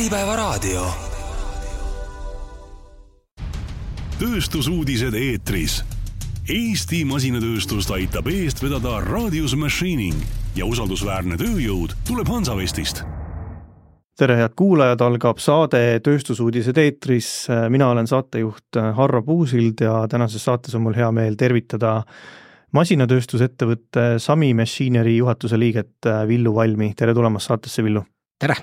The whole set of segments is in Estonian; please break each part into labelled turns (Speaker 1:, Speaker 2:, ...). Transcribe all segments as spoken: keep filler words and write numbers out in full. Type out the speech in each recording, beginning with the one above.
Speaker 1: Äripäevaraadio. Tööstusuudised eetris. Eesti masinatööstust aitab eest vedada Radius Machining ja usaldusväärne tööjõud tuleb Hansavestist.
Speaker 2: Tere head kuulajad, algab saade Tööstusuudised eetris. Mina olen saatejuht Harro Puusild ja tänases saates on mul hea meel tervitada masinatööstusettevõtte Sami Machinery juhatuse liiget Villu Valmi. Tere tulemast saatesse, Villu.
Speaker 3: Tere!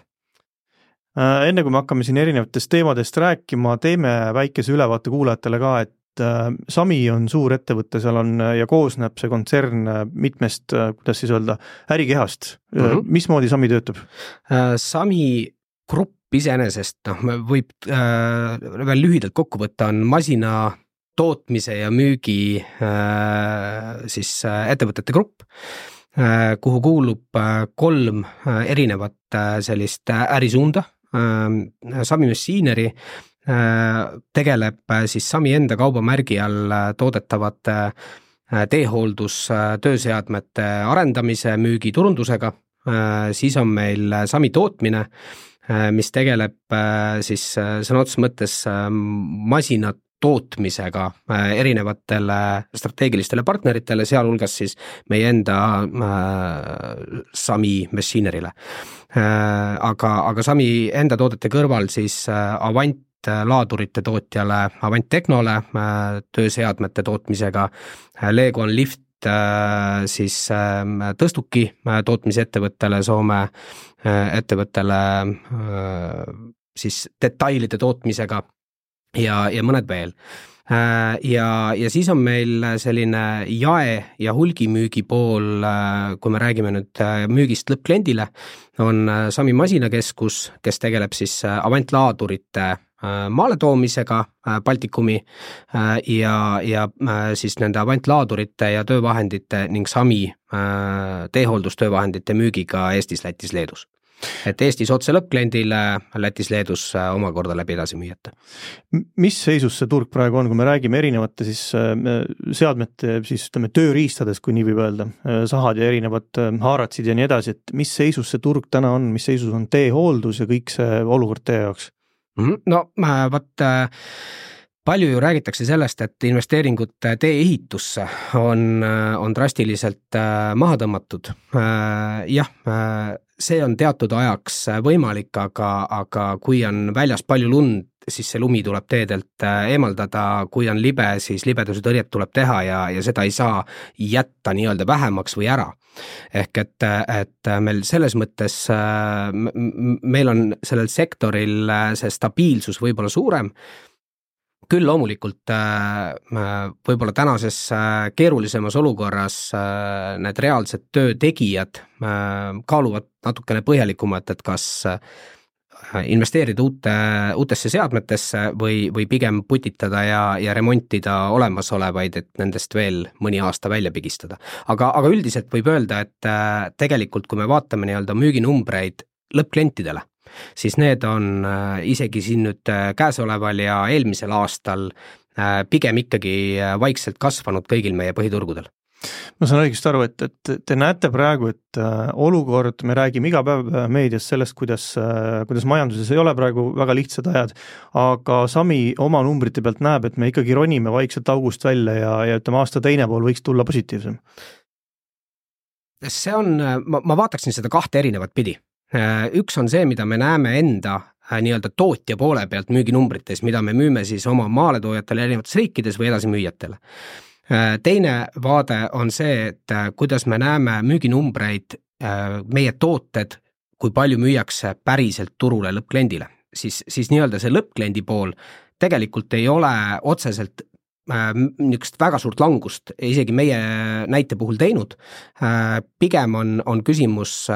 Speaker 2: Enne kui me hakkame siin erinevatest teemadest rääkima, teeme väikese ülevaate kuulajatele ka, et Sami on suur ettevõte, seal on ja koosneb see kontsern mitmest, kuidas siis öelda, ärikehast. Mm-hmm. Mismoodi Sami töötab?
Speaker 3: Sami grupp iseenesest, noh, võib äh, veel lühidalt kokku võtta, on masina tootmise ja müügi äh, siis äh, ettevõtete grupp, äh, kuhu kuulub äh, kolm äh, erinevat äh, sellist äh, ärisuunda. äh, Sami Machinery äh, tegeleb äh, siis Sami enda kaubamärgi all äh, toodetavate äh, teehooldus äh, tööseadmete arendamise, müügi, turundusega, äh, siis on meil äh, Sami tootmine, äh, mis tegeleb äh, siis äh, sõna otseses mõttes äh, masinat tootmisega erinevatele strateegilistele partneritele, sealhulgas siis meie enda äh, Sami Machinerile. Äh, aga, aga Sami enda toodete kõrval siis äh, Avant laadurite tootjale, Avant Technole äh, tööseadmete tootmisega, äh, Lego on Lift äh, siis äh, tõstuki äh, tootmisettevõttele, Soome äh, ettevõttele äh, siis detailide tootmisega ja, ja mõned veel. Ja, ja siis on meil selline jae- ja hulgimüügi pool, kui me räägime nüüd müügist lõppkliendile, on Sami masinakeskus, kes tegeleb siis Avant laadurite maaletoomisega Baltikumi ja, ja siis nende Avant laadurite ja töövahendite ning Sami teehooldustöövahendite müügiga Eestis, Lätis, Leedus. Et Eestis otse lõppkliendile, Lätis, Leedus omakorda läbi edasi müüjate.
Speaker 2: Mis seisus see turg praegu on, kui me räägime erinevate siis seadmete, siis ütleme tööriistades, kui nii võib öelda, sahad ja erinevad haaratsid ja nii edasi, et mis seisus see turg täna on, mis seisus on teehooldus ja kõik see olukord teie jaoks?
Speaker 3: No vaat palju ju räägitakse sellest, et investeeringud tee-ehitusse on, on drastiliselt maha tõmmatud. Jah, see on teatud ajaks võimalik, aga, aga kui on väljas palju lund, siis see lumi tuleb teedelt eemaldada, kui on libe, siis libeduse tõrjet tuleb teha ja, ja seda ei saa jätta nii-öelda vähemaks või ära. Ehk et, et meil selles mõttes, meil on sellel sektoril see stabiilsus võib-olla suurem, küll loomulikult võib-olla tänases keerulisemas olukorras need reaalsed töötegijad kaaluvad natukene põhjalikumalt, et kas investeerida uute, uutesse seadmetesse või, või pigem putitada ja, ja remontida olemasolevaid, et nendest veel mõni aasta välja pigistada. Aga, aga üldiselt võib öelda, et tegelikult kui me vaatame nii-öelda müüginumbreid lõppklientidele, siis need on isegi siin nüüd käesoleval ja eelmisel aastal pigem ikkagi vaikselt kasvanud kõigil meie põhiturgudel.
Speaker 2: Ma saan õigesti aru, et, et te näete praegu, et olukord, me räägime iga päev meedias sellest, kuidas, kuidas majanduses ei ole praegu väga lihtsad ajad, aga Sami oma numbrite pealt näeb, et me ikkagi ronime vaikselt august välja ja, ja ütleme aasta teine pool võiks tulla positiivsem.
Speaker 3: See on, ma, ma vaataksin seda kahte erinevat pidi. Üks on see, mida me näeme enda nii-öelda tootja poole pealt müüginumbrites, mida me müüme siis oma maaletoojatele erinevates riikides või edasi müüjatele. Teine vaade on see, et kuidas me näeme müüginumbreid, meie tooted, kui palju müüakse päriselt turule lõppkliendile, siis, siis nii-öelda see lõppkliendi pool tegelikult ei ole otseselt niisugust väga suurt langust isegi meie näite puhul teinud. Pigem on, on küsimus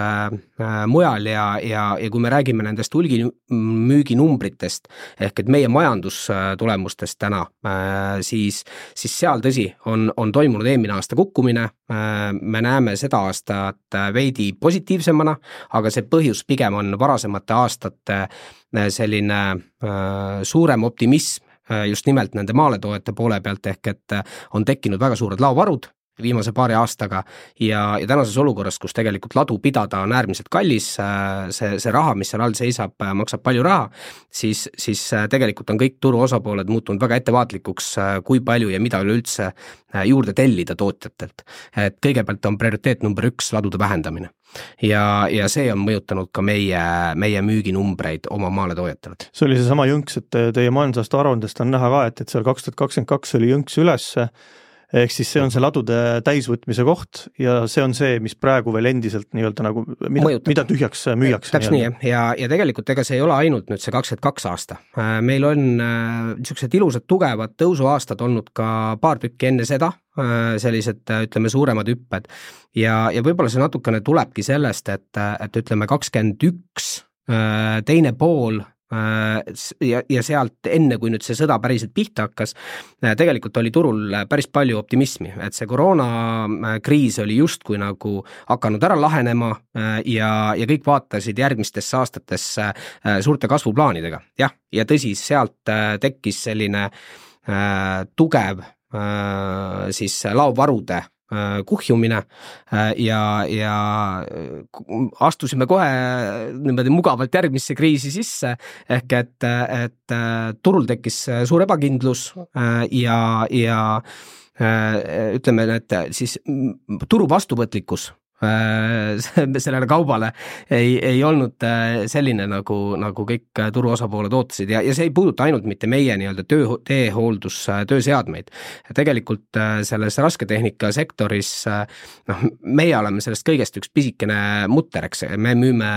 Speaker 3: mujal ja, ja, ja kui me räägime nendest hulgimüüginumbritest ehk et meie majandustulemustest täna, siis, siis seal tõsi on, on toimunud eelmine aasta kukkumine. Me näeme seda aastat veidi positiivsemana, aga see põhjus pigem on varasemate aastate selline suurem optimism just nimelt nende maaletoojate poole pealt ehk et on tekkinud väga suured laovarud viimase paari aastaga ja, ja tänases olukorras, kus tegelikult ladu pidada on äärmiselt kallis, see, see raha, mis seal all seisab, maksab palju raha, siis, siis tegelikult on kõik turu osapooled muutunud väga ettevaatlikuks, kui palju ja mida üleüldse juurde tellida tootjatelt. Et kõigepealt on prioriteet number üks ladude vähendamine. Ja, ja see on mõjutanud ka meie, meie müüginumbreid oma maaletoojatele.
Speaker 2: See oli see sama jõnks, et teie majandusaasta aruandest on näha ka, et, et seal kaks tuhat kakskümmend kaks oli jõnks üles, ehk siis see on see ladude täisvõtmise koht ja see on see, mis praegu veel endiselt nii-öelda nagu, mida, mida tühjaks müüakse.
Speaker 3: Täpselt nii, ja, ja tegelikult ega see ei ole ainult nüüd see kakskümmend kaks aasta. Meil on niisugused ilusad tugevad tõusuaastad olnud ka paar tükki enne seda, sellised, ütleme, suuremad hüpped ja, ja võib-olla see natukene tulebki sellest, et, et ütleme kakskümmend üks teine pool ja, ja sealt enne, kui nüüd see sõda päriselt pihta hakkas, tegelikult oli turul päris palju optimismi, et see koroonakriis oli justkui nagu hakanud ära lahenema ja, ja kõik vaatasid järgmistesse aastatesse suurte kasvuplaanidega. Jah, ja tõsi, sealt tekkis selline tugev siis laovarude kuhjumine ja, ja astusime kohe niimoodi mugavalt järgmisse kriisi sisse, ehk et, et turul tekkis suur ebakindlus ja, ja ütleme, et siis turu vastuvõtlikkus sellele kaubale ei, ei olnud selline, nagu, nagu kõik turu osapooled ootasid ja, ja see ei puuduta ainult mitte meie nii-öelda töö, teehooldus, tööseadmeid. Tegelikult selles rasketehnika sektoris, noh, meie oleme sellest kõigest üks pisikene mutter, eks, me müüme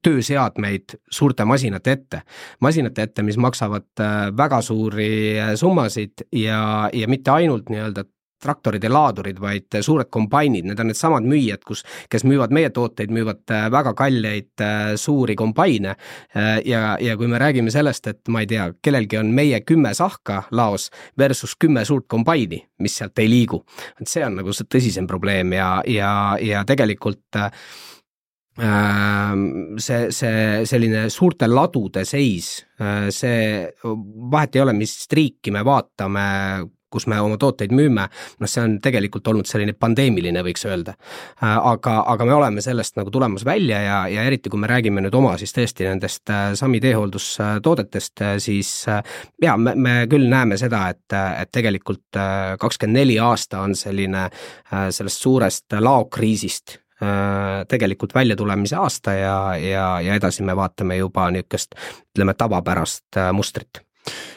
Speaker 3: tööseadmeid suurte masinate ette. Masinate ette, mis maksavad väga suuri summasid ja, ja mitte ainult nii-öelda traktorid ja laadurid, vaid suured kombainid, need on need samad müüjad, kus, kes müüvad meie tooteid, müüvad väga kalleid suuri kombaine ja, ja kui me räägime sellest, et ma ei tea, kellelgi on meie kümme sahka laos versus kümme suurt kombaini, mis sealt ei liigu, et see on nagu see tõsisem probleem ja, ja, ja tegelikult see, see selline suurte ladude seis, see vahet ei ole, mis riiki me vaatame, kus me oma tooteid müüme, no see on tegelikult olnud selline pandeemiline, võiks öelda. Aga, aga me oleme sellest nagu tulemas välja ja, ja eriti kui me räägime nüüd oma siis tõesti nendest Sami teehooldustoodetest, siis ja, me, me küll näeme seda, et, et tegelikult kakskümmend neli aasta on selline sellest suurest laokriisist tegelikult välja tulemise aasta ja, ja, ja edasi me vaatame juba niisugust, ütleme, tavapärast mustrit.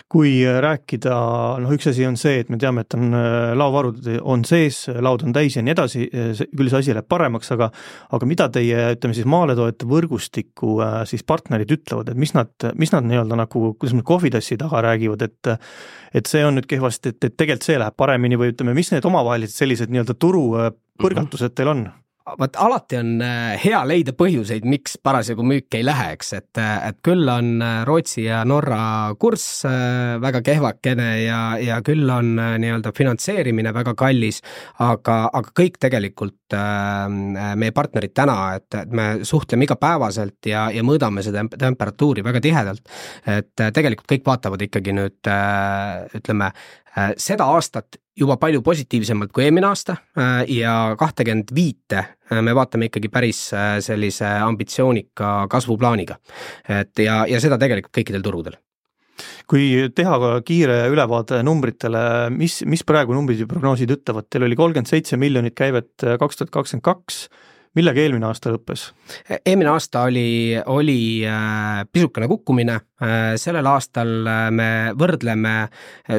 Speaker 2: Kui rääkida, noh üks asi on see, et me teame, et on laovarud on sees, laud on täis ja nii edasi, küll see asi läheb paremaks, aga, aga mida teie, ütleme siis maaletoojate võrgustiku siis partnerid ütlevad, et mis nad, mis nad nii-öelda nagu, kuidas nad kohvitassi taga räägivad, et, et see on nüüd kehvasti, et, et tegelikult see läheb paremini või ütleme, mis need omavahelised sellised nii-öelda turu põrgatused teil on?
Speaker 3: Vaat alati on hea leida põhjuseid, miks parasjagu müük ei lähe, eks, et, et küll on Rootsi ja Norra kurss väga kehvakene ja, ja küll on nii-öelda finantseerimine väga kallis, aga, aga kõik tegelikult meie partnerid täna, et, et me suhtleme igapäevaselt ja, ja mõõdame seda temperatuuri väga tihedalt, et tegelikult kõik vaatavad ikkagi nüüd, ütleme, seda aastat juba palju positiivsemalt kui eelmine aasta ja kahtekümmend viite me vaatame ikkagi päris sellise ambitsioonika kasvuplaaniga. Et ja, ja seda tegelikult kõikidel turudel.
Speaker 2: Kui teha ka kiire ülevaade numbritele, mis, mis praegu numbrid ja prognoosid ütlevad, teil oli kolmkümmend seitse miljonit käivet kaks tuhat kakskümmend kaks, millega eelmine aasta lõppes?
Speaker 3: Eelmine aasta oli, oli pisukene kukkumine, sellel aastal me võrdleme,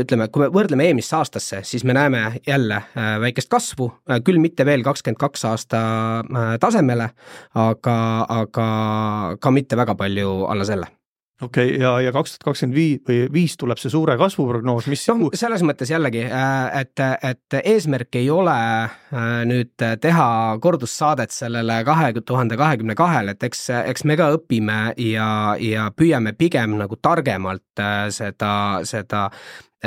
Speaker 3: ütleme, kui me võrdleme eelmist aastasse, siis me näeme jälle väikest kasvu, küll mitte veel kakskümmend kaks aasta tasemele, aga, aga ka mitte väga palju alla selle.
Speaker 2: Okei, okay, ja, ja kaks tuhat kakskümmend viis või viis tuleb see suure kasvuprognoos, mis
Speaker 3: no, selles mõttes jällegi, et, et eesmärk ei ole nüüd teha kordussaadet sellele kahe tuhande kahekümne kahele, et eks, eks me ka õpime ja, ja püüame pigem nagu targemalt seda, seda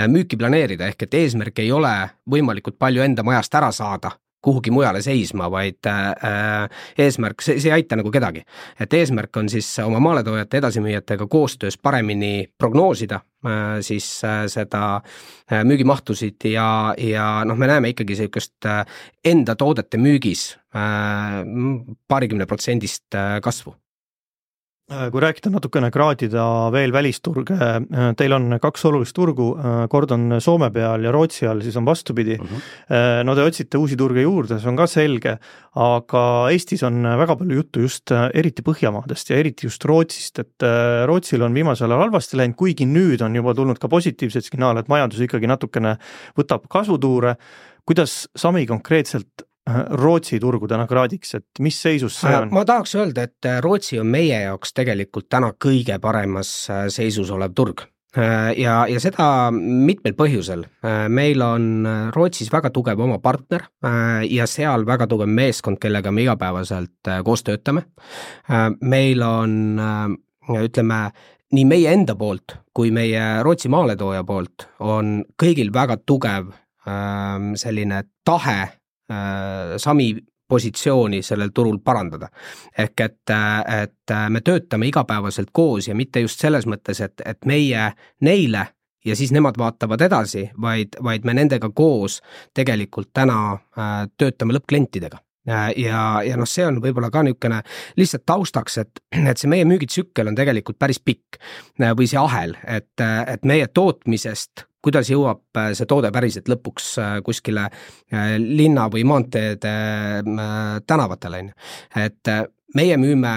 Speaker 3: müüki planeerida, ehk et eesmärk ei ole võimalikult palju enda majast ära saada kuhugi mujale seisma, vaid äh, eesmärk, see, see ei aita nagu kedagi. Et eesmärk on siis oma maaletoojate edasimüüjatega koostöös paremini prognoosida äh, siis äh, seda äh, müügimahtusid ja, ja noh, me näeme ikkagi sellist äh, enda toodete müügis äh, paarikümne protsendist äh, kasvu.
Speaker 2: Kui rääkida natukene kraadida veel välisturge, teil on kaks olulist turgu, kord on Soome peal ja Rootsi all, siis on vastupidi. Uh-huh. No te otsite uusi turge juurde, see on ka selge, aga Eestis on väga palju juttu just eriti Põhjamaadest ja eriti just Rootsist, et Rootsil on viimasel ajal halvasti läinud, kuigi nüüd on juba tulnud ka positiivsed signaale, et majandus ikkagi natukene võtab kasvutuure. Kuidas Sami konkreetselt Rootsi turgu täna kraadiks, et mis seisus see on?
Speaker 3: Ma tahaks öelda, et Rootsi on meie jaoks tegelikult täna kõige paremas seisus olev turg. Ja, ja seda mitmel põhjusel. Meil on Rootsis väga tugev oma partner ja seal väga tugev meeskond, kellega me igapäevaselt koos töötame. Meil on, ütleme, nii meie enda poolt kui meie Rootsi maaletooja poolt on kõigil väga tugev selline tahe Sami positsiooni sellel turul parandada. Ehk et, et me töötame igapäevaselt koos ja mitte just selles mõttes, et, et meie neile ja siis nemad vaatavad edasi, vaid, vaid me nendega koos tegelikult täna töötame lõppklientidega. Ja, ja noh, see on võib-olla ka niisugune lihtsalt taustaks, et, et see meie müügitsükkel on tegelikult päris pikk või see ahel, et, et meie tootmisest kuidas jõuab see toode päriselt lõpuks kuskile linna või maanteede tänavatele. Et meie müüme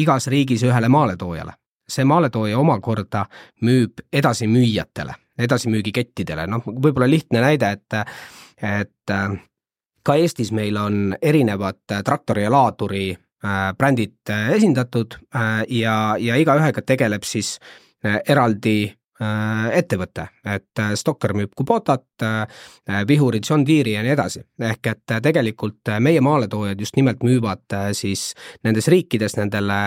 Speaker 3: igas riigis ühele maaletoojale. See maaletooja omakorda müüb edasimüüjatele, edasimüügikettidele. Noh, võib-olla lihtne näide, et, et ka Eestis meil on erinevad traktori ja laaduri brändid esindatud ja, ja iga ühega tegeleb siis eraldi ettevõte, et Stokker müüb Kubotat, Vihuri, John Deere ja nii edasi. Ehk et tegelikult meie maaletoojad just nimelt müüvad siis nendes riikides nendele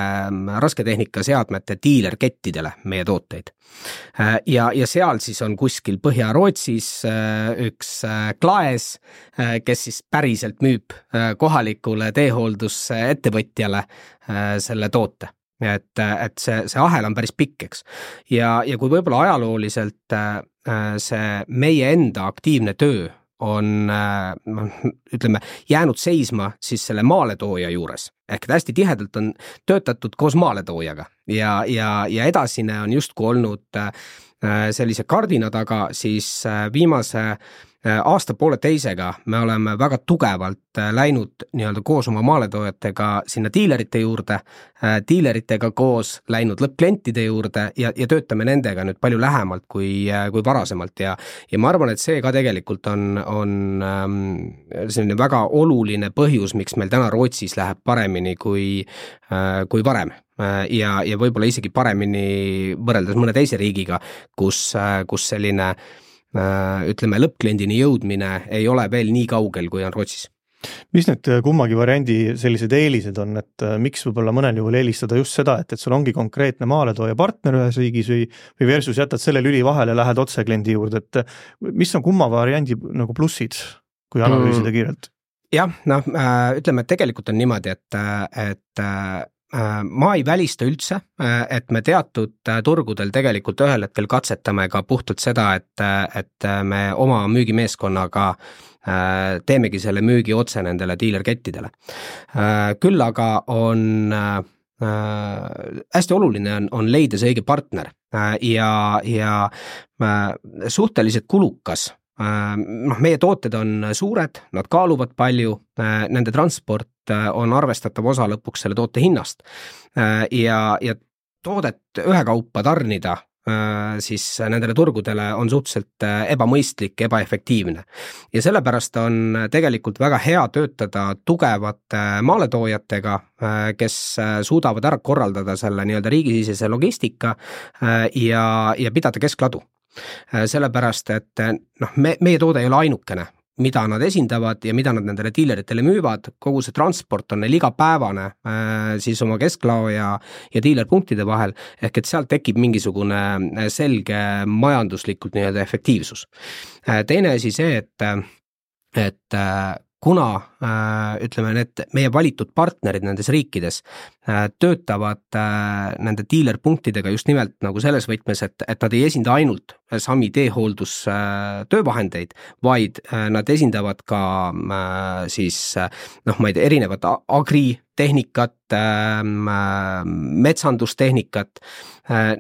Speaker 3: rasketehnika seadmete diilerkettidele meie tooteid. Ja, ja seal siis on kuskil Põhja-Rootsis üks Klaes, kes siis päriselt müüb kohalikule teehooldusettevõtjale selle toote. Et, et see, see ahel on päris pikk, eks. Ja, ja kui võib-olla ajalooliselt see meie enda aktiivne töö on, ütleme, jäänud seisma siis selle maaletooja juures. Ehk hästi tihedalt on töötatud koos maaletoojaga ja, ja, ja edasine on justku olnud sellise kardina taga, siis viimase aasta poole teisega me oleme väga tugevalt läinud nii-öelda koos oma maaletoojatega sinna diilerite juurde, diileritega koos läinud lõppklientide juurde ja, ja töötame nendega nüüd palju lähemalt kui, kui varasemalt ja, ja ma arvan, et see ka tegelikult on, on selline väga oluline põhjus, miks meil täna Rootsis läheb paremini kui, kui varem. Ja, ja võib-olla isegi paremini võrreldes mõne teise riigiga, kus, kus selline ütleme, lõppkliendini jõudmine ei ole veel nii kaugel, kui on Rootsis.
Speaker 2: Mis need kummagi variandi sellised eelised on, et miks võib-olla mõnel juhul eelistada just seda, et, et sul ongi konkreetne maaletooja partner ühes riigis või, või versus jätad selle lüli vahele, lähed otse kliendi juurde, et mis on kumma variandi nagu plussid, kui analüüsida mm. kiirelt?
Speaker 3: Jah, noh, ütleme, et tegelikult on niimoodi, et, et ma ei välista üldse, et me teatud turgudel tegelikult ühel hetkel katsetame ka puhtalt seda, et, et me oma müügimeeskonnaga teemegi selle müügi otse nendele diilerkettidele. Küll aga on hästi oluline on, on leida see õige partner ja, ja suhteliselt kulukas. Noh, meie tooted on suured, nad kaaluvad palju, nende transport on arvestatav osa lõpuks selle toote hinnast ja, ja toodet ühekaupa tarnida siis nendele turgudele on suhteliselt ebamõistlik, ebaefektiivne. Ja sellepärast on tegelikult väga hea töötada tugevate maaletoojatega, kes suudavad ära korraldada selle nii-öelda riigisisese logistika ja, ja pidada keskladu. Sellepärast, et noh, me, meie toode ei ole ainukene, mida nad esindavad ja mida nad nendele diileritele müüvad, kogu see transport on neil igapäevane siis oma kesklao ja, ja diilerpunktide vahel, ehk et sealt tekib mingisugune selge majanduslikult nii-öelda efektiivsus. Teine asi see, et, et kuna ütleme, need meie valitud partnerid nendes riikides töötavad nende dealer-punktidega just nimelt nagu selles võtmes, et, et nad ei esinda ainult Sami teehooldus töövahendeid, vaid nad esindavad ka siis noh, ma ei tea, erinevat agritehnikat, metsandustehnikat,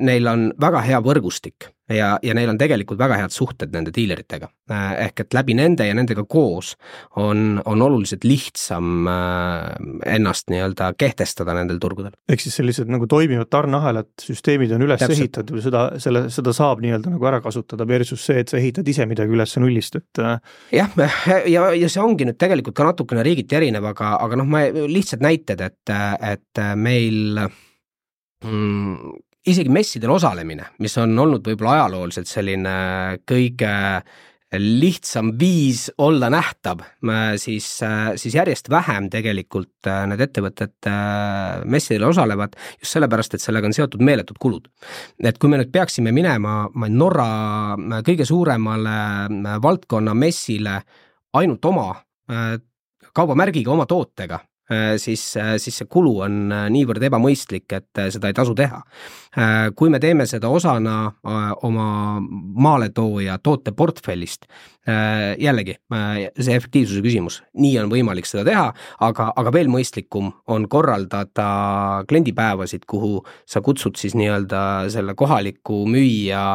Speaker 3: neil on väga hea võrgustik ja, ja neil on tegelikult väga head suhted nende dealeritega. Ehk et läbi nende ja nendega koos on, on oluliselt lihtsam ennast nii-öelda kehtestada nendel turgudel.
Speaker 2: Ehk siis sellised nagu toimivad tarneahelad, süsteemid on üles Täpselt. ehitatud ja seda, selle, seda saab nii-öelda nagu ära kasutada versus see, et sa ehitad ise midagi üles nullist. Et...
Speaker 3: jah, ja, ja see ongi nüüd tegelikult ka natukene riigiti erinev, aga, aga noh, ma lihtsalt näited, et, et meil mm, isegi messidel osalemine, mis on olnud võib-olla ajalooliselt selline kõige lihtsam viis olla nähtav, siis, siis järjest vähem tegelikult need ettevõtted messidel osalevad just sellepärast, et sellega on seotud meeletud kulud. Et kui me nüüd peaksime minema Norra kõige suuremale valdkonna messile ainult oma kaubamärgiga, oma tootega, siis, siis see kulu on niivõrd ebamõistlik, et seda ei tasu teha. Kui me teeme seda osana oma maaletooja tooteportfellist, jällegi see efektiivsuse küsimus, nii on võimalik seda teha, aga, aga veel mõistlikum on korraldada kliendipäevasid, kuhu sa kutsud siis nii-öelda selle kohaliku müüja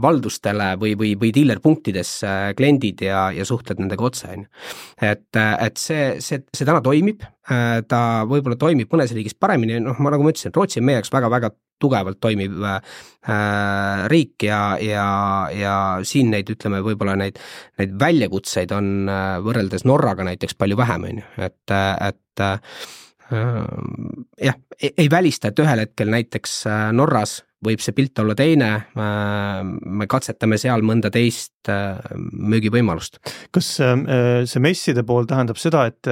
Speaker 3: valdustele või, või, või dealer-punktides kliendid ja, ja suhtled nendega otse. Et, et see, see, see täna toimib, ta võib-olla toimib mõnes riigis paremini, noh, ma nagu ma ütlesin, Rootsi on meie jaoks väga-väga tugevalt toimiv äh, riik ja, ja, ja siin neid, ütleme, võib-olla neid, neid väljakutseid on äh, võrreldes Norraga näiteks palju vähem, on ju, et, et äh, jah, ei, ei välista, et ühel hetkel näiteks Norras võib see pilt olla teine, me katsetame seal mõnda teist müügivõimalust.
Speaker 2: Kas see messide pool tähendab seda, et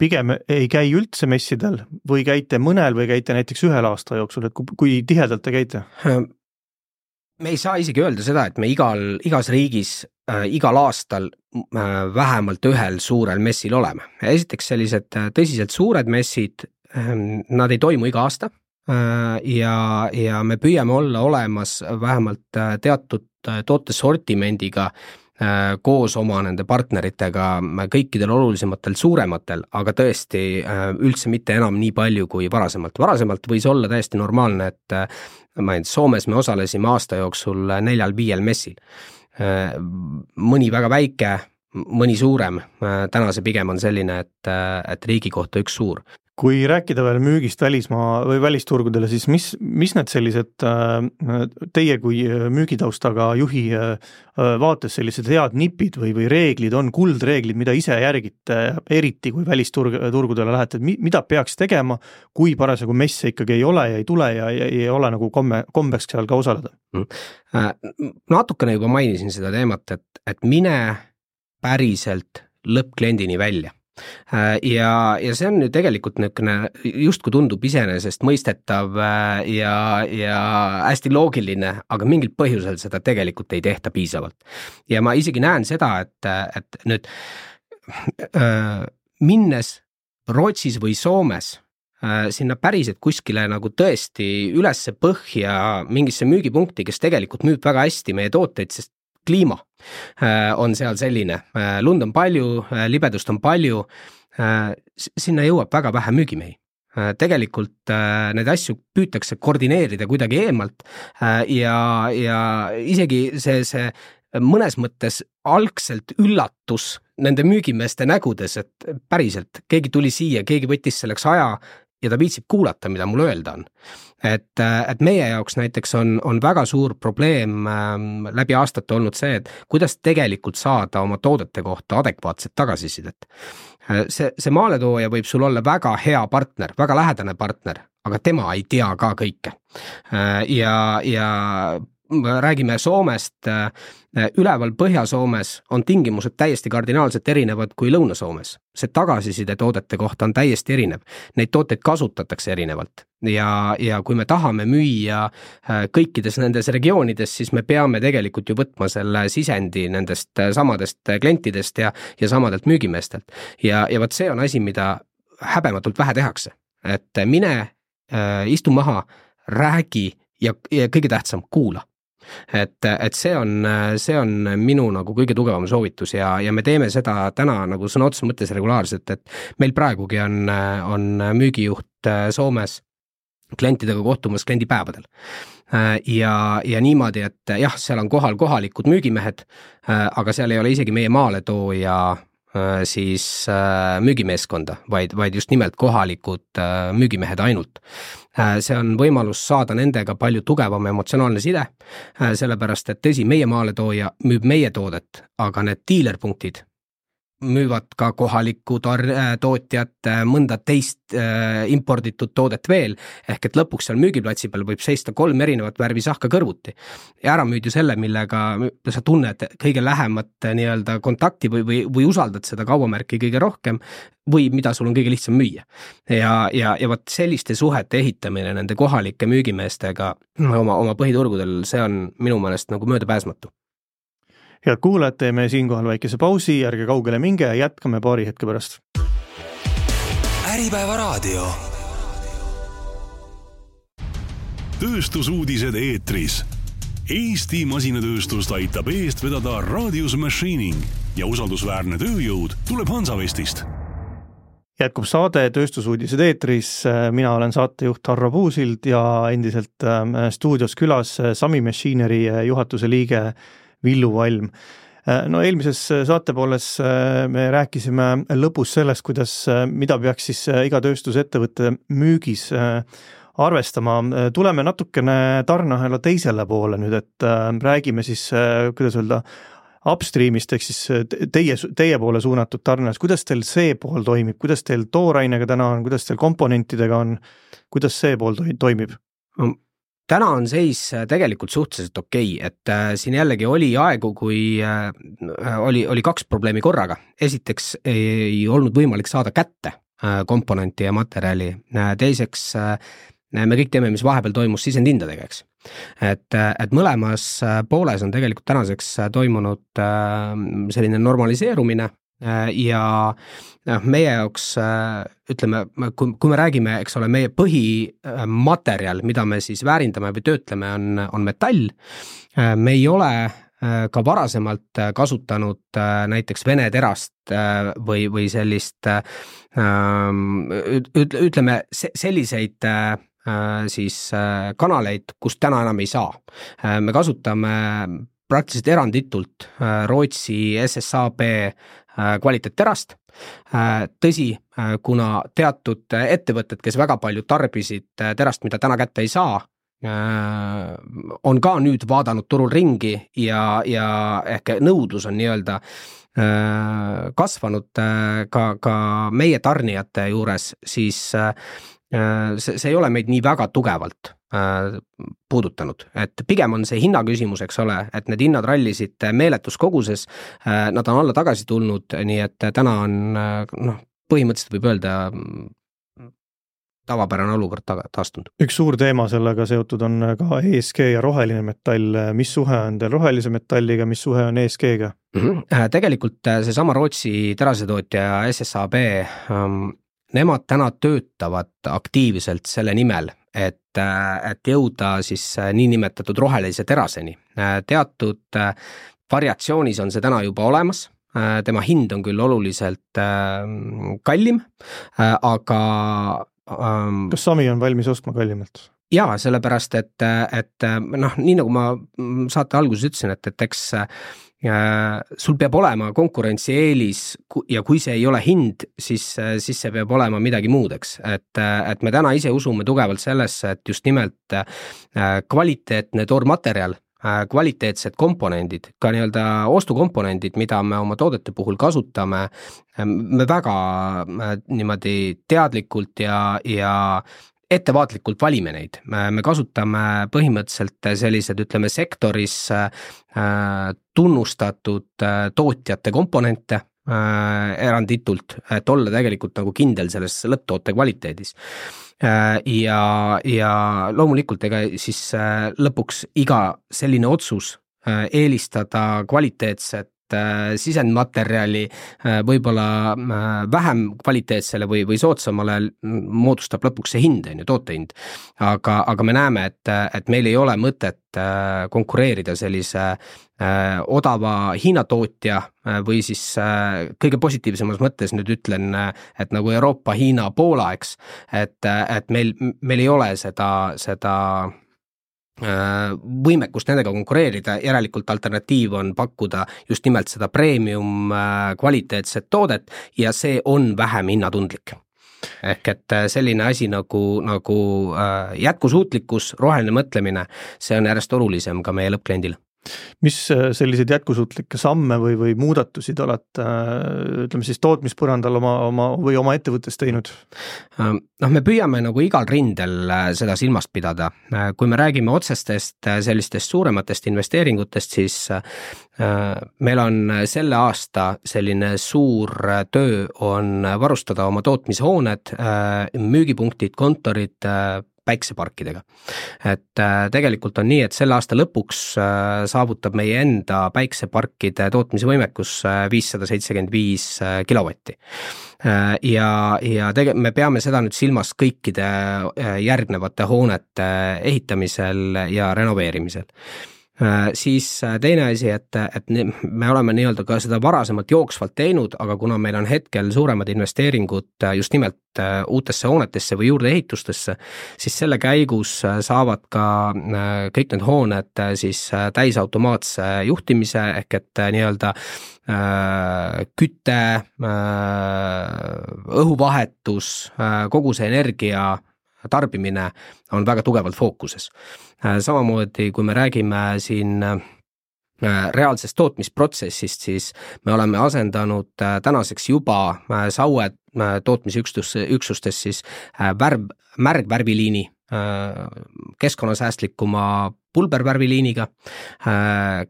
Speaker 2: pigem ei käi üldse messidel või käite mõnel või käite näiteks ühel aasta jooksul, et kui tihedalt te käite?
Speaker 3: Me ei saa isegi öelda seda, et me igal, igas riigis äh, igal aastal äh, vähemalt ühel suurel messil oleme. Esiteks sellised tõsiselt suured messid, äh, nad ei toimu iga aasta äh, ja, ja me püüame olla olemas vähemalt äh, teatud äh, tootesortimendiga äh, koos oma nende partneritega kõikidel olulisematel suurematel, aga tõesti äh, üldse mitte enam nii palju kui varasemalt. Varasemalt võis olla täiesti normaalne, et äh, ma ei tea, Soomes me osalesime aasta jooksul neljal-viiel messil. Mõni väga väike, mõni suurem, täna see pigem on selline, et, et riigi kohta üks suur.
Speaker 2: Kui rääkida veel müügist välismaa või välisturgudele, siis mis, mis need sellised teie kui müügitaustaga juhi vaates sellised head nipid või, või reeglid on, kuldreeglid, mida ise järgite, eriti kui välisturgudele lähete, mida peaks tegema, kui parasjagu messe ikkagi ei ole ja ei tule ja ei, ei ole nagu komme, kombeks seal ka osaleda?
Speaker 3: Natukene juba mainisin seda teemat, et, et mine päriselt lõppkliendini välja. Ja, ja see on ju tegelikult niisugune, just kui tundub iseenesest mõistetav ja, ja hästi loogiline, aga mingil põhjusel seda tegelikult ei tehta piisavalt. Ja ma isegi näen seda, et, et nüüd äh, minnes Rootsis või Soomes äh, sinna päriselt kuskile nagu tõesti ülesse põhja mingisse müügipunkti, kes tegelikult müüb väga hästi meie tooteid, sest kliima on seal selline, lund on palju, libedust on palju, sinna jõuab väga vähe müügimehi. Tegelikult need asju püütakse koordineerida kuidagi eemalt ja, ja isegi see, see mõnes mõttes algselt üllatus nende müügimeeste nägudes, et päriselt keegi tuli siia, keegi võttis selleks aja ja ta viitsib kuulata, mida mul öelda on. Et, et meie jaoks näiteks on, on väga suur probleem ähm, läbi aastate olnud see, et kuidas tegelikult saada oma toodete kohta adekvaatset tagasisidet. See, see maaletooja võib sul olla väga hea partner, väga lähedane partner, aga tema ei tea ka kõike. Ja, ja räägime Soomest, üleval Põhja-Soomes on tingimused täiesti kardinaalselt erinevad kui Lõuna-Soomes. See tagasiside toodete kohta on täiesti erinev. Neid tooteid kasutatakse erinevalt ja, ja kui me tahame müüa kõikides nendes regioonides, siis me peame tegelikult ju võtma selle sisendi nendest samadest klientidest ja, ja samadelt müügimeestelt. Ja, ja võt see on asi, mida häbematult vähe tehakse. Et mine, istu maha, räägi ja, ja kõige tähtsam, kuula. Et, et see on, see on minu nagu kõige tugevam soovitus ja, ja me teeme seda täna nagu sõna otseses mõttes regulaarselt, et meil praegugi on, on müügijuht Soomes klientidega kohtumas kliendipäevadel. Ja, ja niimoodi, et jah, seal on kohal kohalikud müügimehed, aga seal ei ole isegi meie maaletooja siis müügimeeskonda, vaid, vaid just nimelt kohalikud müügimehed ainult. See on võimalus saada nendega palju tugevam emotsionaalne side, sellepärast et tõsi, meie maaletooja müüb meie toodet, aga need dealerpunktid müüvad ka kohalikku tar- tootjat, mõnda teist äh, imporditud toodet veel, ehk et lõpuks seal müügiplatsi peal võib seista kolm erinevat värvi sahka kõrvuti. Ja ära müüd ju selle, millega sa tunned kõige lähemat nii-öelda kontakti või, või, või usaldad seda kaubamärki kõige rohkem või mida sul on kõige lihtsam müüa. Ja, ja, ja võt selliste suhete ehitamine nende kohalike müügimeestega oma, oma põhiturgudel, see on minu meelest nagu möödapääsmatu.
Speaker 2: Head kuulajad, teeme siinkohal väikese pausi, ärge kaugele minge ja jätkame paari hetke pärast.
Speaker 4: Äripäeva raadio.
Speaker 1: Tööstusuudised eetris. Eesti masinatööstust aitab eest vedada Radius Machining ja usaldusväärne tööjõud tuleb Hansavestist.
Speaker 2: Jätkub saade Tööstusuudised eetris, mina olen saatejuht Harro Puusild ja endiselt stuudios külas Sami Machinery juhatuse liige Villu Valm. No eelmises saatepooles me rääkisime lõpus sellest, kuidas, mida peaks siis iga tööstusettevõtte müügis arvestama. Tuleme natukene tarneahela teisele poole nüüd, et räägime siis, kuidas öelda, upstreamist, ehk siis teie, teie poole suunatud tarnes. Kuidas teil see pool toimib? Kuidas teil toorainega täna on? Kuidas teil komponentidega on? Kuidas see pool toimib?
Speaker 3: Täna on seis tegelikult suhteliselt okei, et äh, siin jällegi oli aegu, kui äh, oli, oli kaks probleemi korraga. Esiteks ei olnud võimalik saada kätte äh, komponenti ja materjali. Äh, teiseks äh, me kõik teeme, mis vahepeal toimus sisendhindadega, eks. Et, et mõlemas pooles on tegelikult tänaseks toimunud äh, selline normaliseerumine ja meie jaoks, ütleme, kui, kui me räägime, eks ole, meie põhimaterjal, mida me siis väärindame või töötleme, on, on metall. Me ei ole ka varasemalt kasutanud näiteks Vene terast või, või sellist, ütleme, selliseid siis kanaleid, kust täna enam ei saa. Me kasutame praktiliselt eranditult Rootsi S S A B kvaliteetterast. Tõsi, kuna teatud ettevõtted, kes väga palju tarbisid terast, mida täna kätte ei saa, on ka nüüd vaadanud turul ringi ja, ja ehk nõudlus on nii-öelda kasvanud ka, ka meie tarnijate juures, siis see, see ei ole meid nii väga tugevalt puudutanud, et pigem on see hinna küsimus, eks ole, et need hinnad rallisid meeletus koguses, nad on alla tagasi tulnud, nii et täna on, noh, põhimõtteliselt võib öelda tavapärane olukord taastunud.
Speaker 2: Üks suur teema sellega seotud on ka E S G ja roheline metall. Mis suhe on teil rohelise metalliga, mis suhe on E S G-ga?
Speaker 3: Mm-hmm. Tegelikult see sama Rootsi terasetootja S S A B, nemad täna töötavad aktiivselt selle nimel, et, et jõuda siis niinimetatud rohelise teraseni. Teatud variatsioonis on see täna juba olemas, tema hind on küll oluliselt kallim, aga
Speaker 2: kas Sami on valmis ostma kallimalt?
Speaker 3: Jaa, sellepärast, et, et noh, nii nagu ma saate alguses ütlesin, et, et eks sul peab olema konkurentsieelis ja kui see ei ole hind, siis, siis see peab olema midagi muud, eks. Et, et me täna ise usume tugevalt sellesse, et just nimelt kvaliteetne toormaterjal, kvaliteetsed komponendid, ka nii-öelda ostukomponendid, mida me oma toodete puhul kasutame, me väga niimoodi teadlikult ja, ja ettevaatlikult valime neid, me kasutame põhimõtteliselt sellised, ütleme, sektoris tunnustatud tootjate komponente eranditult, et olla tegelikult nagu kindel selles lõpptoote kvaliteedis. Ja, ja loomulikult ega siis lõpuks iga selline otsus eelistada kvaliteetset sisendmaterjali võib-olla vähem kvaliteetsele või, või soodsamale moodustab lõpuks see hind, on ju, tootehind. Aga, aga me näeme, et, et meil ei ole mõtet konkureerida sellise odava hinnatootja või siis kõige positiivsemas mõttes nüüd ütlen, et nagu Euroopa, Hiina, Poola, eks, et, et meil, meil ei ole seda, seda võimekust nendega konkureerida, järelikult alternatiiv on pakkuda just nimelt seda premium kvaliteetset toodet ja see on vähem hinnatundlik. Ehk et selline asi nagu, nagu jätkusuutlikkus, roheline mõtlemine, see on järjest olulisem ka meie lõppkliendile.
Speaker 2: Mis selliseid jätkusuutlikke samme või, või muudatusi te olete, ütleme siis tootmispõrandal oma, oma või oma ettevõttes teinud?
Speaker 3: Noh, me püüame nagu igal rindel seda silmast pidada. Kui me räägime otsestest sellistest suurematest investeeringutest, siis meil on selle aasta selline suur töö on varustada oma tootmishooned, müügipunktid, kontorid päikseparkidega. Et tegelikult on nii, et selle aasta lõpuks saavutab meie enda päikseparkide tootmisvõimekus viissada seitsekümmend viis kilovatti. Ja, ja tege-, me peame seda nüüd silmas kõikide järgnevate hoonete ehitamisel ja renoveerimisel. Siis teine asi, et, et me oleme nii-öelda ka seda varasemalt jooksvalt teinud, aga kuna meil on hetkel suuremad investeeringud just nimelt uutesse hoonetesse või juurdeehitustesse, siis selle käigus saavad ka kõik need hooned siis täisautomaatse juhtimise ehk et nii-öelda küte, õhuvahetus, kogu see energia tarbimine on väga tugevalt fookuses. Samamoodi, kui me räägime siin reaalsest tootmisprotsessist, siis me oleme asendanud tänaseks juba Saue tootmisüksustes siis värv, märgvärviliini keskkonnasäästlikuma pulbervärviliiniga.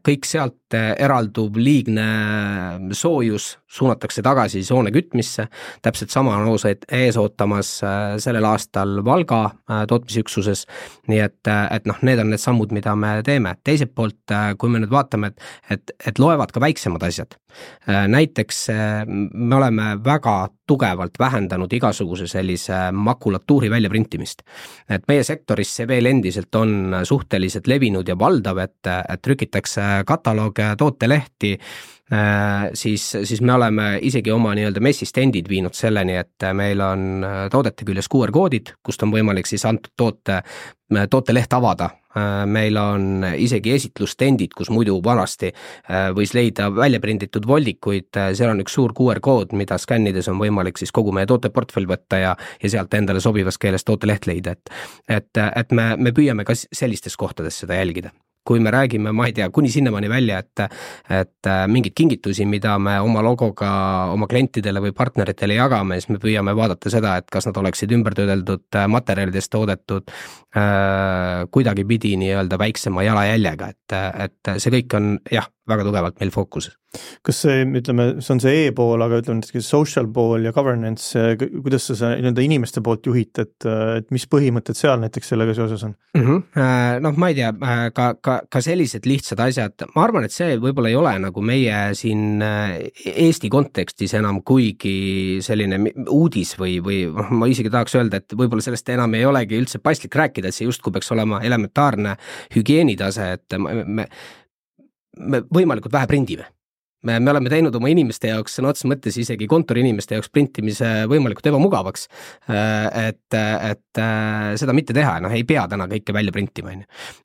Speaker 3: Kõik sealt eralduv liigne soojus suunatakse tagasi soone kütmisse. Täpselt sama on ees ootamas sellel aastal Valga tootmisüksuses. Nii et, et noh, need on need sammud, mida me teeme. Teiselt poolt, kui me nüüd vaatame, et, et, et loevad ka väiksemad asjad. Näiteks me oleme väga tugevalt vähendanud igasuguse sellise makulatuuri väljaprintimist. Et meie sektoris see veel endiselt on suhteliselt levinud ja valdav, et, et trükitakse katalooge, tootelehti, siis, siis me oleme isegi oma nii-öelda messistendid viinud selleni, et meil on toodete küljes Q R-koodid, kust on võimalik siis antud toote, tooteleht avada. Meil on isegi esitlustendid, kus muidu vanasti võis leida väljaprinditud voldikuid, seal on üks suur Q R-kood, mida skännides on võimalik siis kogu meie tooteportfell võtta ja, ja sealt endale sobivas keeles tooteleht leida, et, et, et me, me püüame ka sellistes kohtades seda jälgida. Kui me räägime, ma ei tea, kuni sinnamaani välja, et, et mingid kingitusi, mida me oma logoga oma klientidele või partneritele jagame, siis me püüame vaadata seda, et kas nad oleksid ümbertöödeldud materjalidest toodetud äh, kuidagi pidi nii-öelda väiksema jalajäljega, et, et see kõik on jah, väga tugevalt meil fookuses.
Speaker 2: Kas see, ütleme, see on see e-pool, aga ütleme näiteks social pool ja governance, kuidas sa nii-öelda inimeste poolt juhid, et, et mis põhimõtted seal näiteks sellega seoses on?
Speaker 3: Mm-hmm. Noh, ma ei tea, ka, ka, ka sellised lihtsad asjad, ma arvan, et see võib-olla ei ole nagu meie siin Eesti kontekstis enam kuigi selline uudis või, või ma isegi tahaks öelda, et võib-olla sellest enam ei olegi üldse paslik rääkida, et see justkui peaks olema elementaarne hügieenitase, et me, me me võimalikult vähe prindime. Me, me oleme teinud oma inimeste jaoks, sõna otseses mõttes isegi kontori inimeste jaoks printimise võimalikult ebamugavaks, et, et seda mitte teha, noh ei pea täna kõike välja printima.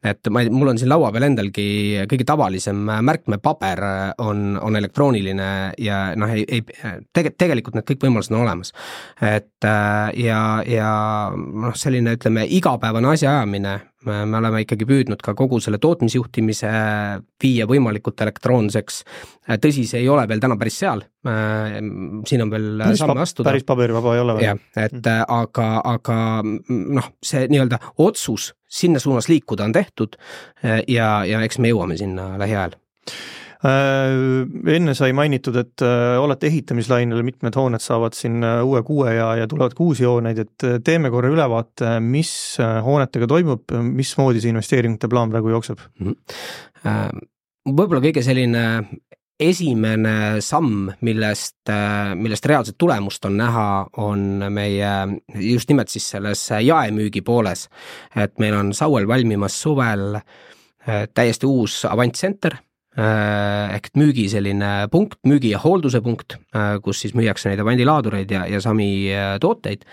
Speaker 3: Et ma, mul on siin laua peal endalgi kõige tavalisem märkmepaber on, on elektrooniline ja noh, ei, ei, tege, tegelikult need kõik võimalused on olemas. Et ja, ja noh, selline ütleme igapäevane asjaajamine me, me oleme ikkagi püüdnud ka kogu selle tootmisjuhtimise viia võimalikult elektroonseks. Tõsi, see ei ole veel täna päris seal, siin on veel päris samme astuda.
Speaker 2: Päris paberivaba ei ole veel.
Speaker 3: Jah, et mm. aga, aga noh, see nii-öelda otsus sinna suunas liikuda on tehtud ja, ja eks me jõuame sinna lähiajal.
Speaker 2: Enne sai mainitud, et olete ehitamislainel, mitmed hooned saavad siin uue kuue ja, ja tulevad kuusi hooneid, et teeme korra ülevaate, mis hoonetega toimub, mismoodi see investeeringute plaan praegu jookseb?
Speaker 3: Võib-olla kõige selline esimene samm, millest, millest reaalset tulemust on näha, on meie just nimelt siis selles jaemüügi pooles, et meil on Sauel valmimas suvel täiesti uus Avant Center, ehk müügi selline punkt, müügi ja hoolduse punkt, kus siis müüakse neid avandilaadureid ja, ja sami tooteid.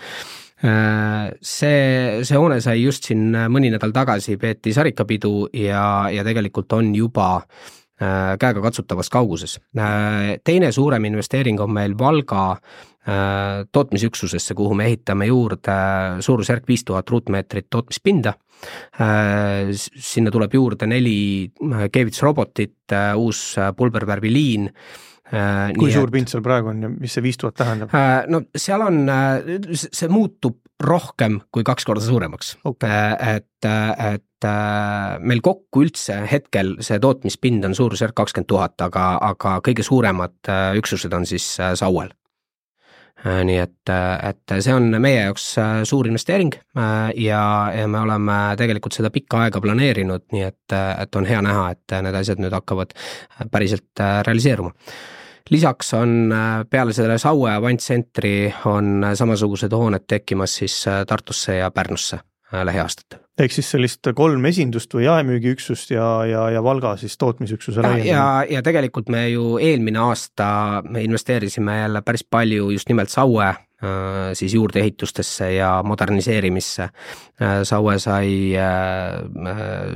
Speaker 3: See, see hoone sai just siin mõni nädal tagasi peeti sarikapidu ja, ja tegelikult on juba käega katsutavas kauguses. Teine suurem investeering on meil Valga tootmisüksusesse, kuhu me ehitame juurde suurusjärk viis tuhat ruutmeetrit tootmispinda. Sinna tuleb juurde neli keevitusrobotit, uus pulbervärviliin.
Speaker 2: Kui suur pind seal praegu on ja mis see viis tuhat tähendab?
Speaker 3: No seal on, see muutub rohkem kui kaks korda suuremaks. Okay. Et, et meil kokku üldse hetkel see tootmispind on suurusjärk kakskümmend tuhat, aga, aga kõige suuremad üksused on siis Sauel. Nii et, et see on meie jaoks suur investeering ja, ja me oleme tegelikult seda pikka aega planeerinud, nii et, et on hea näha, et need asjad nüüd hakkavad päriselt realiseeruma. Lisaks on peale selle Saue Avant Centri on samasugused hooned tekkimas siis Tartusse ja Pärnusse lähiaastatel.
Speaker 2: Ehk siis sellist kolm esindust või jaemüügiüksust ja, ja, ja Valga siis tootmisüksuse laiendamine.
Speaker 3: Ja, ja tegelikult me ju eelmine aasta me investeerisime jälle päris palju just nimelt Saue siis juurdeehitustesse ja moderniseerimisse. Saue sai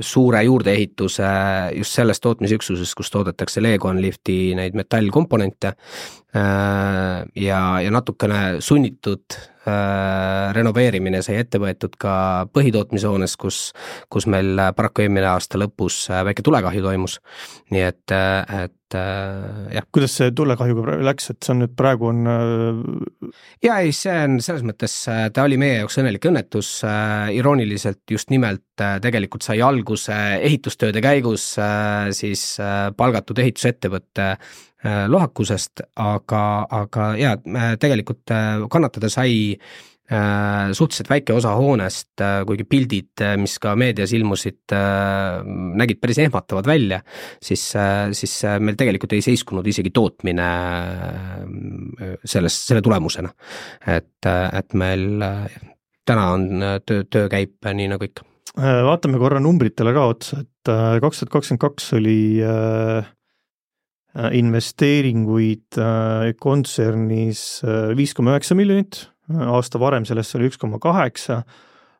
Speaker 3: suure juurdeehituse just selles tootmisüksuses, kus toodetakse Legonlifti neid metallkomponente ja, ja natukene sunnitud renoveerimine sai ette võetud ka põhitootmishoones, kus, kus meil paraku eelmine aasta lõpus väike tulekahju toimus. Nii et, et jah.
Speaker 2: Kuidas see tulekahjuga läks, et see on nüüd praegu on...
Speaker 3: Ja ei, see on selles mõttes, ta oli meie jaoks õnnelik õnnetus, irooniliselt just nimelt tegelikult sai alguse ehitustööde käigus siis palgatud ehitusettevõtte lohakusest, aga, aga ja, tegelikult kannatada sai suhteliselt väike osa hoonest, kuigi pildid, mis ka meedias ilmusid, nägid päris ehmatavad välja, siis, siis meil tegelikult ei seiskunud isegi tootmine selles, selle tulemusena. Et, et meil täna on töö, töö käib nii nagu ikka.
Speaker 2: Vaatame korra numbritele ka otsa, et kaks tuhat kakskümmend kaks oli investeeringuid kontsernis viis koma üheksa miljonit, aasta varem sellest oli üks koma kaheksa.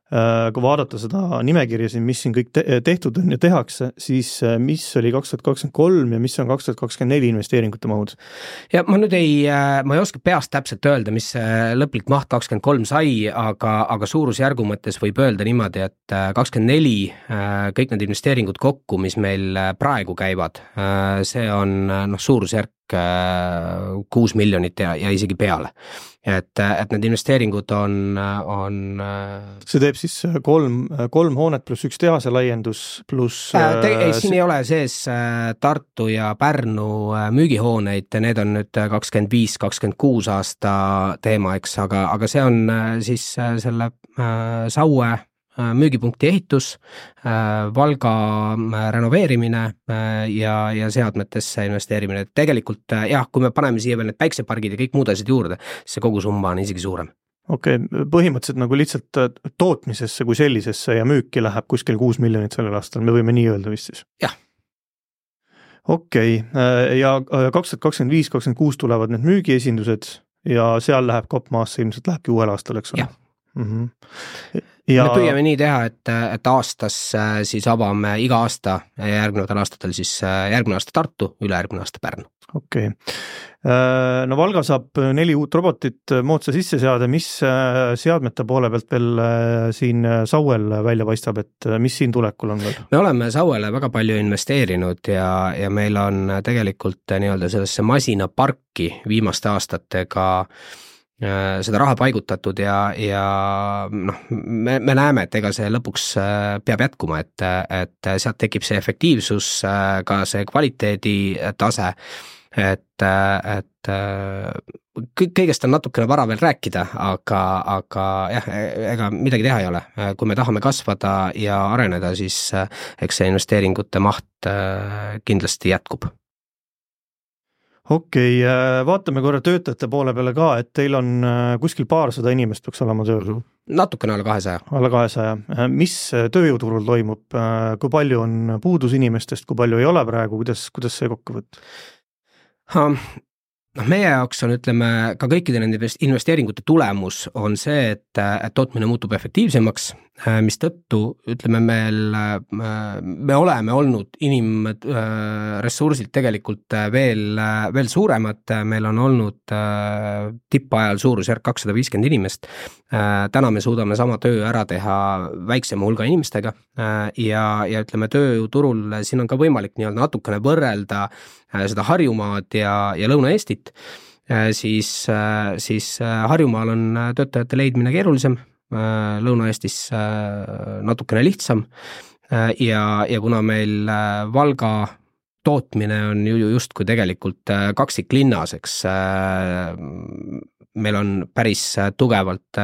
Speaker 2: Kui vaadata seda nimekirja siin, mis siin kõik te- tehtud on ja tehakse, siis mis oli kaks tuhat kakskümmend kolm ja mis on kaks tuhat kakskümmend neli investeeringute mahud?
Speaker 3: Ja ma nüüd ei, ma ei oska peast täpselt öelda, mis lõplik maht kakskümmend kolm sai, aga, aga suurusjärgu mõttes võib öelda niimoodi, et kakskümmend neli kõik need investeeringud kokku, mis meil praegu käivad, see on noh, suurusjärk kuus miljonit ja, ja isegi peale. Et, et need investeeringud on, on...
Speaker 2: See teeb siis kolm, kolm hoonet pluss üks tehase laiendus pluss...
Speaker 3: Te, ei, siin ei ole sees Tartu ja Pärnu müügihooneid, need on nüüd kakskümmend viis kakskümmend kuus aasta teema, eks, aga, aga see on siis selle Saue müügipunkti ehitus, Valga renoveerimine ja, ja seadmetesse investeerimine. Tegelikult jah, kui me paneme siia veel need päiksepargid ja kõik muud asjad juurde, see kogu summa on isegi suurem.
Speaker 2: Okei, okay, põhimõtteliselt nagu lihtsalt tootmisesse kui sellisesse ja müüki läheb kuskil kuus miljonit sellel aastal, me võime nii öelda vist siis?
Speaker 3: Jah.
Speaker 2: Okei, okay. Ja kaks tuhat kakskümmend viis kakskümmend kuus tulevad need müügiesindused ja seal läheb kopp maasse, ilmselt lähebki uuel aastal, eks ole?
Speaker 3: Jah.
Speaker 2: Mm-hmm. Ja...
Speaker 3: me püüame nii teha, et, et aastas siis avame iga aasta ja järgnevatel aastatel siis järgmine aasta Tartu, ülejärgmine aasta Pärnu.
Speaker 2: Okei. Okay. No Valga saab neli uut robotit moodsa sisse seada, mis seadmete poole pealt veel siin Sauel välja paistab, et mis siin tulekul on veel?
Speaker 3: Me oleme Sauele väga palju investeerinud ja, ja meil on tegelikult nii-öelda sellesse masinaparki viimaste aastatega seda raha paigutatud ja, ja noh, me, me näeme, et ega see lõpuks peab jätkuma, et, et sealt tekib see efektiivsus, ka see kvaliteedi tase, et, et kõigest on natukene vara veel rääkida, aga, aga jah, ega midagi teha ei ole. Kui me tahame kasvada ja areneda, siis eks see investeeringute maht kindlasti jätkub.
Speaker 2: Okei, okay, vaatame korra töötajate poole peale ka, et teil on kuskil paarsada inimest peaks olema tööl.
Speaker 3: Natukene alla kahesaja.
Speaker 2: Alla kahesaja. Mis tööjõuturul toimub? Kui palju on puudus inimestest, kui palju ei ole praegu? Kuidas, kuidas see kokku võtta?
Speaker 3: No, meie jaoks on, ütleme, ka kõikide nende investeeringute tulemus on see, et, et tootmine muutub efektiivsemaks, mis tõttu, ütleme, meil, me oleme olnud inimressursilt tegelikult veel, veel suuremad, meil on olnud tippajal suurusjärk kakssada viiskümmend inimest, täna me suudame sama töö ära teha väiksema hulga inimestega ja, ja ütleme, tööjõuturul siin on ka võimalik nii-öelda natukene võrrelda seda Harjumaad ja, ja Lõuna-Eestit, siis, siis Harjumaal on töötajate leidmine keerulisem, Lõuna-Eestis natukene lihtsam ja, ja kuna meil Valga tootmine on ju justkui tegelikult kaksiklinnas, eks meil on päris tugevalt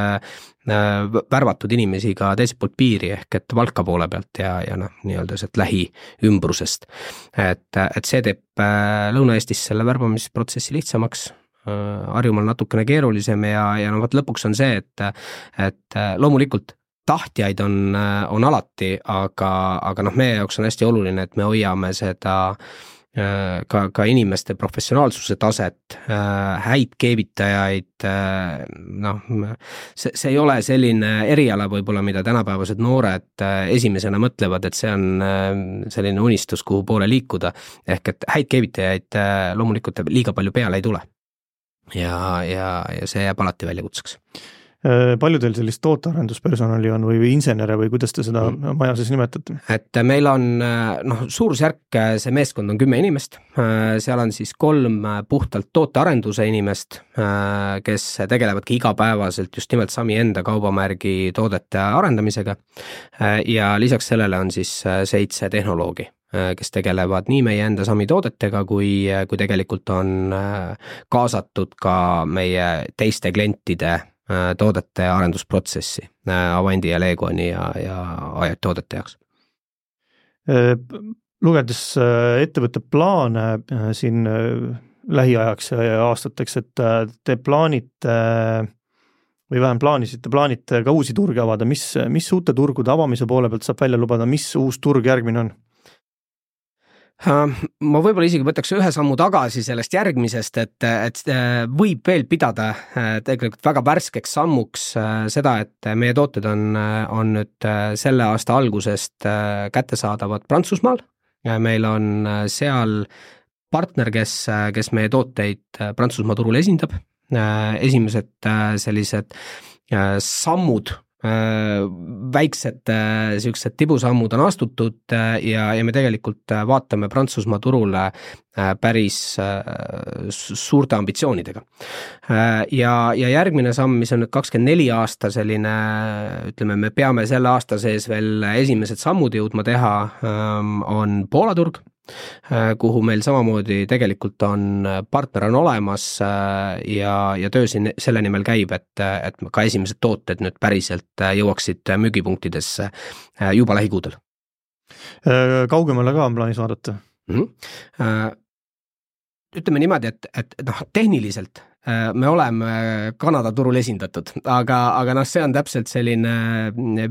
Speaker 3: värvatud inimesi ka teiselt poolt piiri ehk et Valka poole pealt ja, ja noh, nii-öelda sealt lähiümbrusest. Et, et see teeb Lõuna-Eestis selle värbamisprotsessi lihtsamaks, Harjumaal natukene keerulisem ja, ja no võt lõpuks on see, et, et loomulikult tahtjaid on, on alati, aga, aga noh, meie jaoks on hästi oluline, et me hoiame seda ka, ka inimeste professionaalsuse taset, häid keevitajaid, noh, see, see ei ole selline eriala võib-olla, mida tänapäevased noored esimesena mõtlevad, et see on selline unistus, kuhu poole liikuda, ehk et häid keevitajaid loomulikult liiga palju peale ei tule ja, ja, ja see jääb alati väljakutseks.
Speaker 2: Palju teil sellist tootearenduspersonali on või, või insenere või kuidas te seda mm. maja siis nimetate?
Speaker 3: Et meil on, noh, suurusjärk, see meeskond on kümme inimest, seal on siis kolm puhtalt tootearenduse inimest, kes tegelevadki igapäevaselt just nimelt Sami enda kaubamärgi toodete arendamisega ja lisaks sellele on siis seitse tehnoloogi, kes tegelevad nii meie enda Sami toodetega, kui, kui tegelikult on kaasatud ka meie teiste klientide toodete arendusprotsessi Avandi ja Legoni ja, ja Ajat toodete jaoks.
Speaker 2: Lugedes ettevõtte plaane siin lähiajaks ja aastateks, et te plaanite või vähem plaanisite, plaanite ka uusi turge avada, mis, mis uute turgude avamise poole pealt saab välja lubada, mis uus turg järgmine on?
Speaker 3: Ma võib-olla isegi võtaks ühe sammu tagasi sellest järgmisest, et, et võib veel pidada tegelikult väga värskeks sammuks seda, et meie tooted on, on nüüd selle aasta algusest kättesaadavad Prantsusmaal. Meil on seal partner, kes, kes meie tooteid Prantsusmaa turul esindab. Esimesed sellised sammud, väiksed sellised tibusammud on astutud ja, ja me tegelikult vaatame Prantsusmaa turule päris suurte ambitsioonidega. Ja, ja järgmine samm, mis on nüüd kakskümmend neli aasta selline, ütleme, me peame selle aasta sees veel esimesed sammud jõudma teha, on Poola turg, kuhu meil samamoodi tegelikult on partner on olemas ja, ja töö siin selle nimel käib, et, et ka esimesed tooted nüüd päriselt jõuaksid müügipunktidesse juba lähikuudel.
Speaker 2: Kaugemale ka on plaanis vaadata?
Speaker 3: Mm-hmm. Ütleme niimoodi, et, et noh, tehniliselt me oleme Kanada turul esindatud, aga, aga noh, see on täpselt selline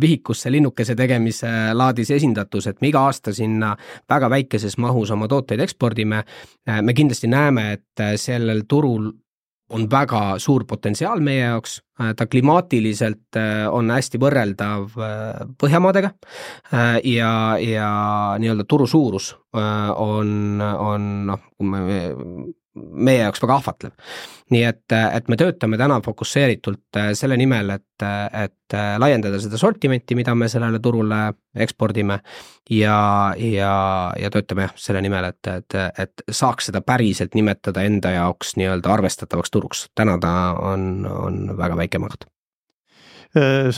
Speaker 3: vihikusse linnukese tegemise laadis esindatus, et me iga aasta sinna väga väikeses mahus oma tooteid ekspordime. Me kindlasti näeme, et sellel turul on väga suur potentsiaal meie jaoks, ta klimaatiliselt on hästi võrreldav Põhjamaadega ja, ja nii-öelda turu suurus on, on noh, meie jaoks väga ahvatlev. Nii et, et me töötame täna fokusseeritult selle nimel, et, et laiendada seda sortimenti, mida me sellele turule ekspordime ja, ja, ja töötame selle nimel, et, et, et saaks seda päriselt nimetada enda jaoks nii-öelda arvestatavaks turuks. Täna ta on, on väga väike maht.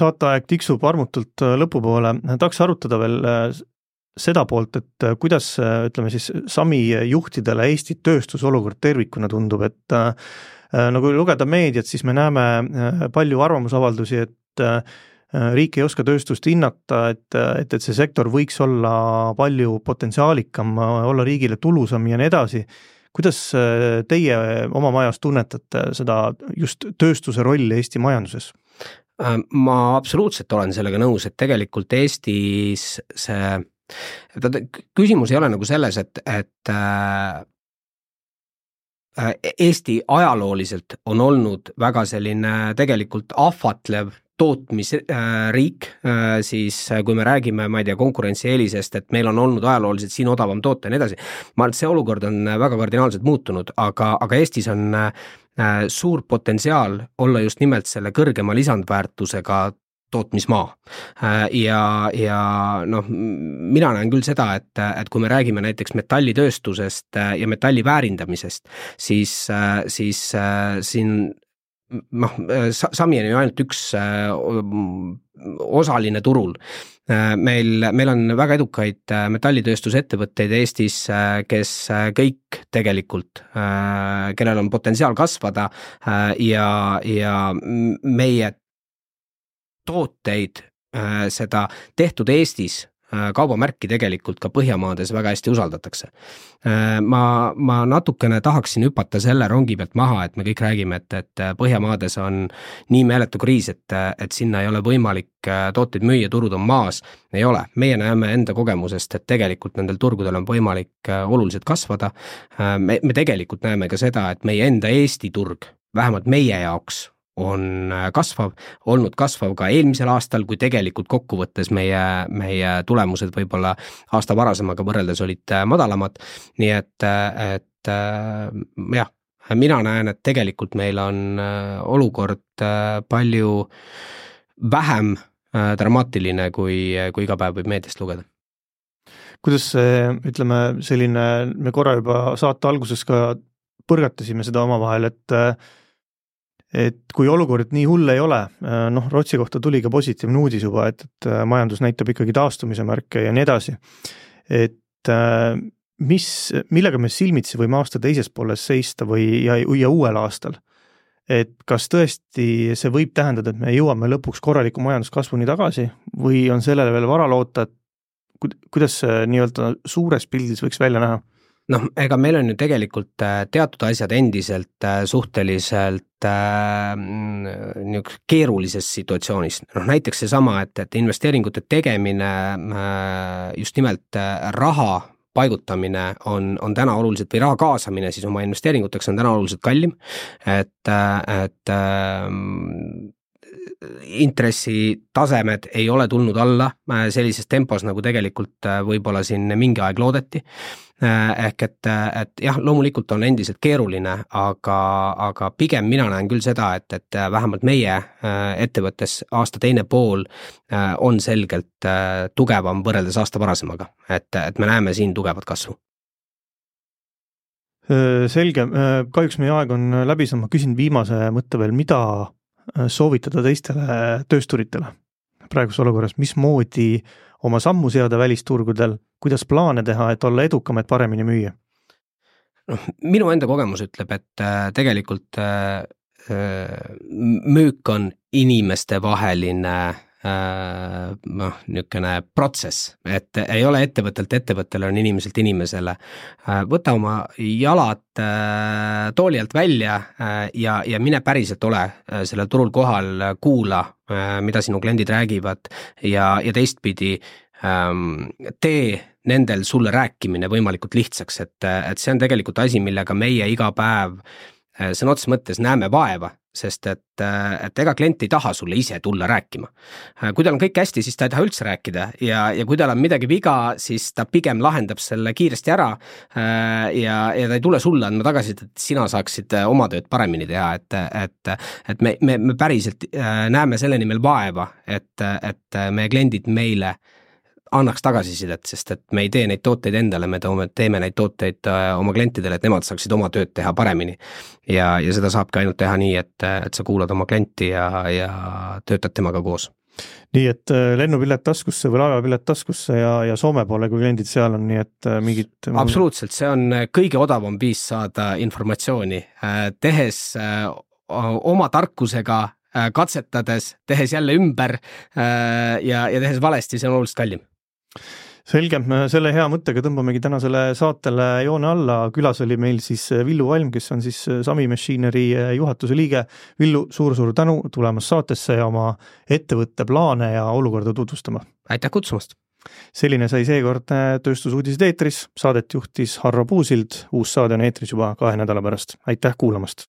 Speaker 2: Saateaeg tiksub armutult lõpupoole. Tahaks arutada veel seda poolt, et kuidas, ütleme siis, Sami juhtidele Eesti tööstusolukord tervikuna tundub, et nagu lugeda meediat, siis me näeme palju arvamusavaldusi, et riik ei oska tööstust hinnata, et, et, et see sektor võiks olla palju potentsiaalikam, olla riigile tulusam ja nii edasi. Kuidas teie oma majas tunnetate seda just tööstuse rolli Eesti majanduses?
Speaker 3: Ma absoluutselt olen sellega nõus, et tegelikult Eestis see küsimus ei ole nagu selles, et, et Eesti ajalooliselt on olnud väga selline tegelikult ahvatlev tootmisriik, siis kui me räägime, ma ei tea, konkurentsieelisest, et meil on olnud ajalooliselt siin odavam toota ja nii edasi. Ma arvan, et see olukord on väga kardinaalselt muutunud, aga, aga Eestis on suur potentsiaal olla just nimelt selle kõrgema lisandväärtusega tootmismaa. Ja, ja noh, mina näen küll seda, et, et kui me räägime näiteks metallitööstusest ja metalli väärindamisest, siis, siis siin noh, Sami on ju ainult üks osaline turul. Meil, meil on väga edukaid metallitööstusettevõtteid Eestis, kes kõik tegelikult, kellel on potentsiaal kasvada ja, ja meie tooteid, seda tehtud Eestis kaubamärki tegelikult ka Põhjamaades väga hästi usaldatakse. Ma, ma natukene tahaksin hüpata selle rongi pealt maha, et me kõik räägime, et, et Põhjamaades on nii meeletu kriis, et, et sinna ei ole võimalik tooteid müüa, turud on maas. Ei ole. Meie näeme enda kogemusest, et tegelikult nendel turgudel on võimalik oluliselt kasvada. Me, me tegelikult näeme ka seda, et meie enda Eesti turg, vähemalt meie jaoks, on kasvav, olnud kasvav ka eelmisel aastal, kui tegelikult kokkuvõttes meie, meie tulemused võib-olla aasta varasemaga võrreldes olid madalamad. Nii et, et jah, mina näen, et tegelikult meil on olukord palju vähem dramaatiline, kui, kui iga päev võib meediast lugeda.
Speaker 2: Kuidas see, ütleme, selline, me korra juba saate alguses ka põrgatasime seda omavahel, et et kui olukord nii hull ei ole, noh, Rootsi kohta tuli ka positiivne uudis juba, et, et majandus näitab ikkagi taastumise märke ja nii edasi. Et mis, millega me silmitsi võime aasta teises pooles seista või ja, ja uuel aastal? Et kas tõesti see võib tähendada, et me jõuame lõpuks korraliku majanduskasvuni tagasi või on sellele veel vara loota, et kuidas see nii-öelda suures pildis võiks välja näha?
Speaker 3: Noh, ega meil on ju tegelikult teatud asjad endiselt suhteliselt äh, keerulises situatsioonis. Noh, näiteks see sama, et, et investeeringute tegemine, äh, just nimelt raha paigutamine on, on täna oluliselt või raha kaasamine siis oma investeeringuteks on täna oluliselt kallim, et, et äh, intressitasemed ei ole tulnud alla sellises tempos, nagu tegelikult võib-olla siin mingi aeg loodeti. Ehk et, et jah, loomulikult on endiselt keeruline, aga, aga pigem mina näen küll seda, et, et vähemalt meie ettevõttes aasta teine pool on selgelt tugevam võrreldes aasta varasemaga, et, et me näeme siin tugevat kasvu.
Speaker 2: Selge, kahjuks meie aeg on läbi, ma küsin viimase mõtte veel, mida soovitada teistele töösturitele praeguses olukorras, mismoodi oma sammu seada välisturgudel, kuidas plaane teha, et olla edukam, et paremini müüa?
Speaker 3: No, minu enda kogemus ütleb, et tegelikult müük on inimeste vaheline noh, niisugune protsess, et ei ole ettevõttelt ettevõttele, on inimeselt inimesele. Võta oma jalad tooli alt välja ja, ja mine päriselt ole sellel turul kohal, kuula, mida sinu kliendid räägivad ja, ja teistpidi tee nendel sulle rääkimine võimalikult lihtsaks, et, et see on tegelikult asi, millega meie iga päev sõna otseses mõttes näeme vaeva, sest et, et ega klient ei taha sulle ise tulla rääkima. Kui tal on kõik hästi, siis ta ei taha üldse rääkida ja, ja kui tal on midagi viga, siis ta pigem lahendab selle kiiresti ära ja, ja ta ei tule sulle andma tagasi, et sina saaksid oma tööd paremini teha, et, et, et me, me, me päriselt näeme selle nimel vaeva, et, et meie kliendid meile annaks tagasisidet, sest et me ei tee neid tooteid endale, me toome, teeme neid tooteid oma klientidele, et nemad saaksid oma tööd teha paremini. Ja, ja seda saabki ainult teha nii, et, et sa kuulad oma klienti ja, ja töötad temaga koos.
Speaker 2: Nii, et lennupilet taskusse või laevapilet taskusse ja, ja Soome poole, kui kliendid seal on, nii et mingid...
Speaker 3: Absoluutselt, see on kõige odavam viis saada informatsiooni, tehes oma tarkusega, katsetades, tehes jälle ümber ja, ja tehes valesti, see on oluliselt kallim.
Speaker 2: Selge, selle hea mõttega tõmbamegi tänasele saatele joone alla. Külas oli meil siis Villu Valm, kes on siis Sami Machinery juhatuse liige. Villu, suur-suur tänu tulemas saatesse ja oma ettevõtte plaane ja olukorda tutvustama.
Speaker 3: Aitäh kutsumast!
Speaker 2: Selline sai seekord tööstusuudised eetris. Saadet juhtis Harro Puusild. Uus saade on eetris juba kahe nädala pärast. Aitäh kuulamast!